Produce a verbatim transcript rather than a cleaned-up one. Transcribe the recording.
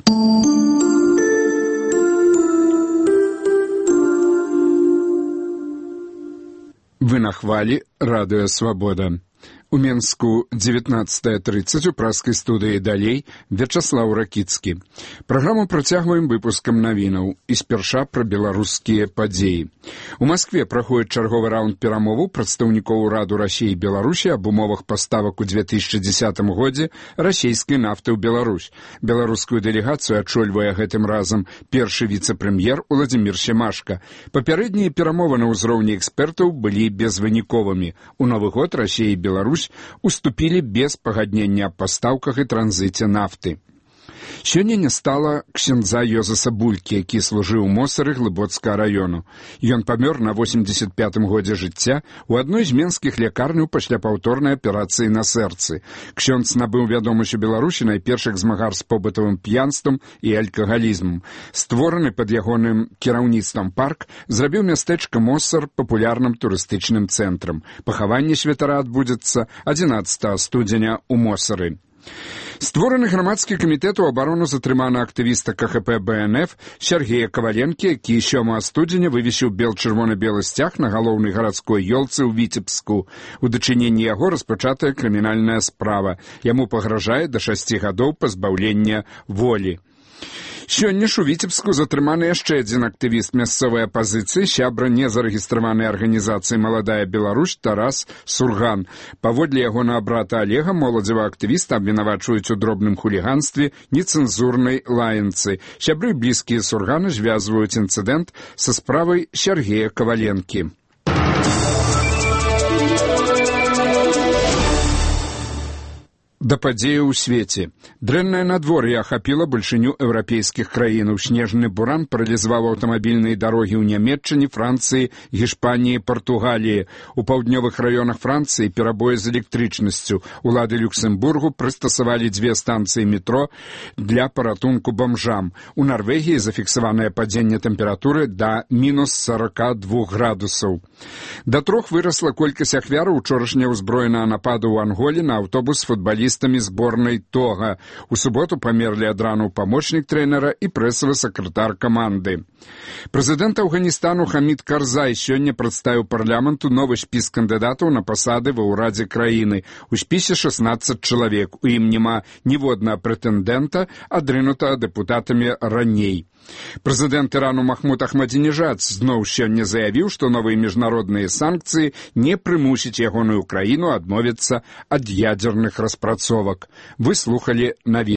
Вы на хвалі радыё «Свабода». У Менску дзевятнаццатая трыццаць у праскай студыі «Далей» Вячаслаў Ракіцкі. Праграму працягваем выпускам навінаў і спярша пра беларускія падзеі. У Маскве праходзіць чарговы раунд перамоваў прадстаўнікоў ураду Расіі і Беларусі аб умовах паставак у две тысячы дзесятым годзе расійскай нафты ў Беларусь. Беларускую дэлегацыю ачольвае гэтым разам першы віцэ-прэм'ер Уладзімір Семашка. Папярэднія перамовы на ўзроўні экспертаў былі безвыніковымі. У новы год Расія і Беларусь уступілі без пагаднення аб пастаўках і транзіце нафты. Сёння не стала ксяндза Йозаса Булькі, які служыў у Мосары Глыбоцкага раёну. Ён памёр на восемьдесят пятым годзе жыцця у адной з менскіх лякарняў пасля паўторнай аперацыі на сэрцы. Ксёндз набыў вядомасць у Беларусі найпершых змагар з побытавым п'янствам і алкагалізмам. Створаны пад ягоным кіраўніцтвам парк зрабіў мястэчка Мосар папулярным турыстычным цэнтрам. Пахаванне святара адбудзецца адзінаццатага студзеня ў Мосары. Створаны грамадскі камітэт у абарону затрымана актывіста ка ха пэ бэ эн эф Сергея Каваленкі, які сёмага студзеня вывесіў бел-чырвона-белы сцяг на галоўнай гарадской ёлцы ў Віцебску. У дачыненні яго распачатая крымінальная справа. Яму пагражае да шасці гадоў пазбаўлення волі. Сёння ж у Віцебску затрыманы яшчэ адзін актывіст мясцовай апазіцыі, сябра незарэгістраванай арганізацыі «Маладая Беларусь» Тарас Сурган. Паводле ягонага брата Олега, моладзевага актывіста абвінавачваюць у дробным хуліганстве, нецэнзурнай лаянцы. Сябры блізкія Сургана звязваюць інцыдэнт са справай Сергея Каваленкі. Да падзеяў у свеце. Дрэннае надвор'е ахапіла бальшыню еўрапейскіх краінаў. Снежны буран паралізаваў аўтамабільныя дарогі ў Нямецчыне, Францыі, Гішпаніі, Партугаліі. У паўднёвых раёнах Францыі перабоі з электрычнасцю. Улады Люксембургу прыстасавалі дзве станцыі метро для паратунку бамжам. У Нарвегіі зафіксаванае падзенне тэмпературы да мінус сорок два градусаў. Да трох вырасла колькасць ахвяраў учорашняга ўзброенага нападу ў Анголе на аўтобус футбаліста зборнай Тога. У суботу памерлі ад рану памочнік трэнера і прэсавы сакратар каманды. Прэзідэнт Афганістану Хамід Карзай сёння прадставіў парламенту новы спіс кандыдатаў на пасады ва ўрадзе краіны. У спісе шаснаццаць чалавек. У ім няма ніводнага прэтэндэнта, адрынутага дэпутатамі раней. Прэзідэнт Ірану Махмуд Ахмадзінежад зноў сёння заявіў, што новыя міжнародныя санкцыі не прымусяць ягоную краіну адмовіцца ад ядзерных распрацовак. Вы слухалі навіны.